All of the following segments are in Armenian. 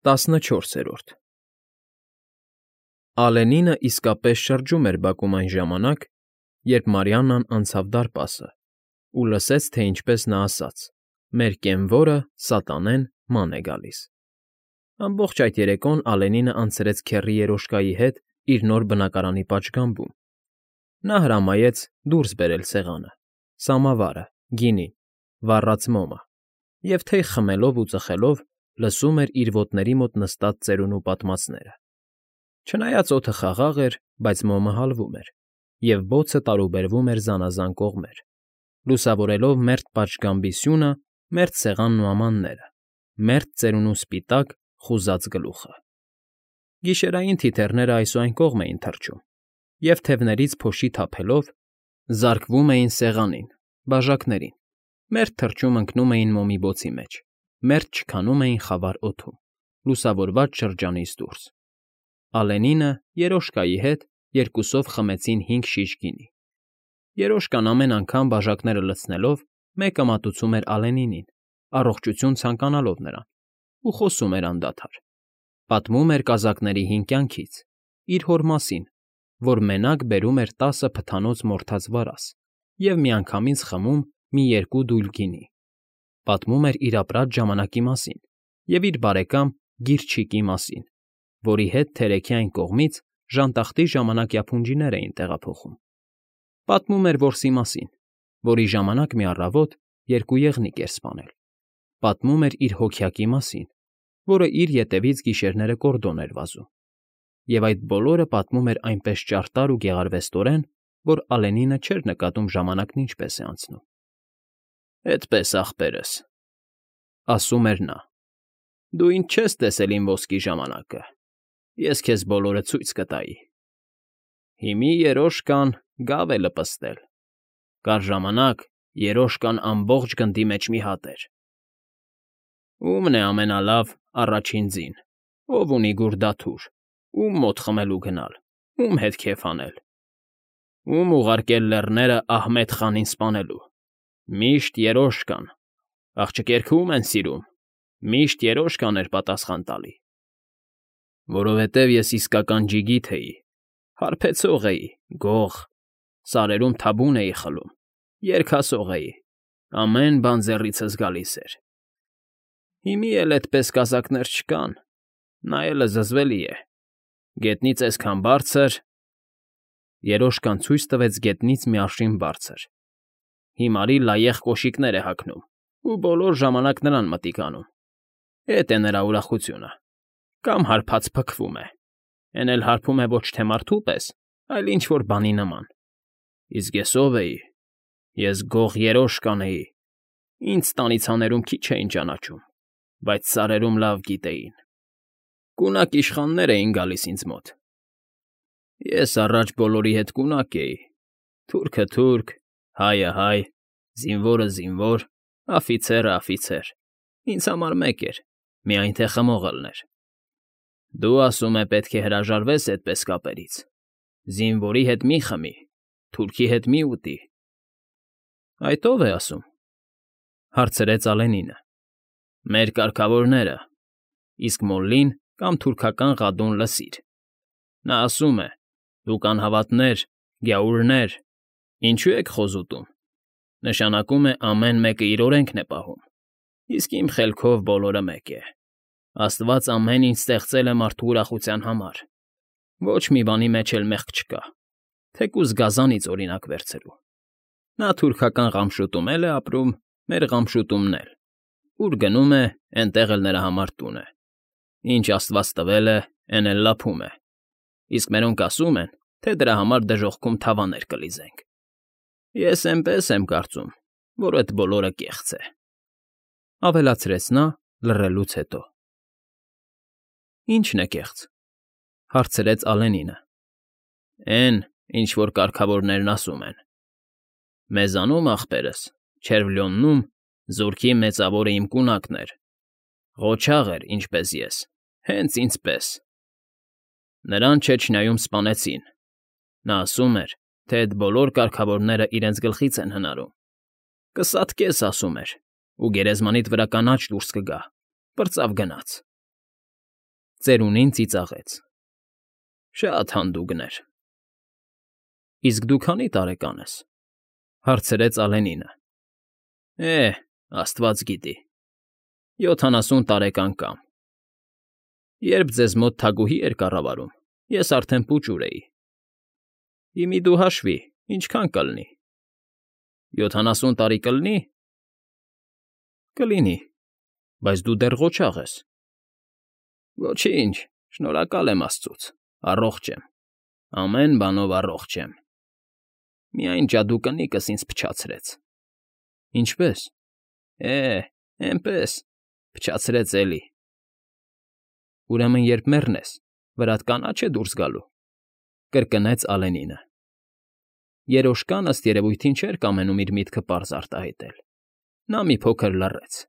14 Ալենինը իսկապես շրջում էր բակում այն ժամանակ, երբ Մարիաննան անցավ դարպասը ու լսեց, թե ինչպես նա ասաց. «Մեր կենվորը՝ սատանեն, ման է գալիս»։ Ամբողջ այդ երեկոն Ալենինը անցրեց քեռի երոշկայի հետ իր նոր բնակարանի պատշգամբում. նա հրամայեց դուրս բերել սեղանը, սամավարը, գինին, վառած մոմը և թեյ խմելով ու ծխելով լսում էր իր ոտների մոտ նստած ծերունու պատմածները։ Չնայած օդը խաղաղ էր, բայց մոմը հալվում էր, և բոցը տարուբերվում էր զանազան կողմեր, լուսավորելով մերթ պատշգամբի սյունը, մերթ սեղանն ու ամանները, մերթ ծերունու սպիտակ, խուզած գլուխը։ Գիշերային թիթեռները այս ու այն կողմ էին թռչում, և թևներից փոշի թափելով զարկվում էին սեղանին, բաժակներին, մերթ թռչում ընկնում էին մոմի բոցի մեջ, մերթ չքանում էին խավար օդում, լուսավորված շրջանից դուրս։ Ալենինը երոշկայի հետ երկուսով խմեցին 5 շիշ գինի։ Երոշկան ամեն անգամ բաժակները լցնելով մեկը մատուցում էր Ալենինին, առողջություն ցանկանալով նրան, ու խոսում էր անդադար։ Պատմում էր կազակների հին կյանքից, իր հոր մասին, որ մենակ բերում էր 10 փթանոց մորթած վարազ և միանգամից խմում մի 2 դույլ գինի։ Պատմում էր իր ապրած ժամանակի մասին և իր բարեկամ Գիրչիկի մասին, որի հետ թերեքի այն կողմից ժանտախտի ժամանակյա փունջիներ էին տեղափոխում։ Պատմում էր որսի մասին, որի ժամանակ մի առավոտ 2 եղնիկ էր սպանել։ Պատմում էր իր հոգյակի մասին, որը իր ետևից գիշերները կորդոն էր վազում։ Եվ այդ բոլորը պատմում էր այնպես ճարտար ու գեղարվեստորեն, որ Ալենինը չէր նկատում ժամանակն ինչպես է անցնում։ «Էդպես, ախպերս,֊ ասում էր նա,֊ դու ինձ չես տեսել իմ ոսկի ժամանակը, ես քեզ բոլորը ցույց կտայի։ Հիմի երոշկան գավ է լպստել, կար ժամանակ երոշկան ամբողջ գնդի մեջ մի հատ էր։ Ո՞ւմն է ամենալավ առաջին ձին, ով ունի գուր դաթուր, ո՞ւմ մոտ խմելու գնալ, ո՞ւմ հետ քեֆ անել, ո՞ւմ ուղարկել լեռները Ահմեդ խանին սպանելու։ Միշտ երոշկան, աղջիկերքը ո՞ւմ են սիրում, միշտ երոշկան էր պատասխան տալի։ Որովհետև ես իսկական ջիգիթ էի, հարբեցող էի, գող, սարերում թաբուն էի խլում, երգասող էի, ամեն բան ձեռիցս գալիս էր։ Հիմի էլ էդպես կազակներ չկան, նայելը զզվելի է, գետնից այսքան բարձր… Երոշկան ցույց տվեց գետնից մի արշին բարձր։ Հիմարի լայեղ կոշիկներ է հագնում, ու բոլոր ժամանակ նրան մտիկ անում, էդ է նրա ուրախությունը, կամ հարբած փքվում է, էն էլ հարբում է ոչ թե մարդու պես, այլ ինչ֊որ բանի նման։ Իսկ ես ով էի, ես գող երոշկան էի, ինձ ստանիցաներում քիչ էին ճանաչում, բայց սարերում լավ գիտեին, կունակ իշխաններ էին գալիս ինձ մոտ։ Ես առաջ բոլորի հետ կունակ էի, թուրքը՝ թուրք, հայը՝ հայ, զինվորը՝ զինվոր, աֆիցերը՝ աֆիցեր, ինձ համար մեկ էր, միայն թե խմող ըլներ։ Դու, ասում է, պետք է հրաժարվես էդպես կապերից, զինվորի հետ մի խմի, թուրքի հետ մի ուտի։ Այդ ո՞վ է ասում,֊ հարցրեց Ալենինը։ Մեր կարգավորները, իսկ Մոլլին կամ թուրքական Ղադուն լսիր։ Նա ասում է. դուք անհավատներ, գյաուրներ, ինչո՞ւ եք խոզուտում, նշանակում է ամեն մեկը իր օրենքն է պահում, իսկ իմ խելքով բոլորը մեկ է։ Աստված ամեն ինչ ստեղծել է մարդու ուրախության համար, ոչ մի բանի մեջ էլ մեղք չկա, թեկուզ գազանից օրինակ վերցրու։ Նա թուրքական Ղամշուտում էլ է ապրում, մեր Ղամշուտումն էլ, ուր գնում է, էնտեղ էլ նրա համար տուն է, ինչ Աստված տվել է, էն էլ լափում է, իսկ մերոնք ասում են, թե դրա համար դժոխքում թավաներ կլիզենք։ Ես էնպես եմ կարծում, որ էդ բոլորը կեղծ է,֊ ավելացրեց նա լռելուց հետո։ Ի՞նչն է կեղծ,֊ հարցրեց Ալենինը։ Էն, ինչ որ կարգավորներն ասում են։ Մեզանում, ախպերս, Չերվլյոննում զորքի մեծավորը իմ կունակն էր, ղոչաղ էր, ինչպես ես, հենց ինձ պես։ Նրան չեչնայում սպանեցին։ Նա ասում էր, թե էդ բոլոր կարգավորները իրենց գլխից են հնարում։ Կսատկես, ասում էր, ու գերեզմանիդ վրա կանաչ դուրս կգա, պրծավ գնաց։ ծերունին ծիծաղեց. Շատ հանդուգներ։ Իսկ դու քանի՞ տարեկան ես, հարցրեց Ալենինը։ Աստված գիտի, 70 տարեկան կամ։ Երբ ձեզ մոտ թագուհի էր կառավարում, ես արդեն պուճուր էի։ Հիմի դու հաշվի, ինչքան կլինի։ 70 տարի կլինի։ Կլինի, բայց դու դեռ ղոչաղ ես։ Ոչինչ, շնորհակալ եմ աստծուց, առողջ եմ, ամեն բանով առողջ եմ։ Միայն ջադուկնիկս ինձ փչացրեց։ Ինչպե՞ս։ Էնպես, փչացրեց էլի։ Ուրեմն երբ մեռնես, վրադ կանաչ է դուրս գալու, կրկնեց Ալենինը։ Երոշկան ըստ երևույթին չէր կամենում իր միտքը պարզ արտահայտել։ Նա մի փոքր լռեց։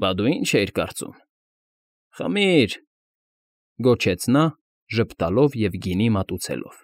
Բա դու ինչ էիր կարծում։ Խմիր, գոչեց նա, ժպտալով և գինի մատուցելով։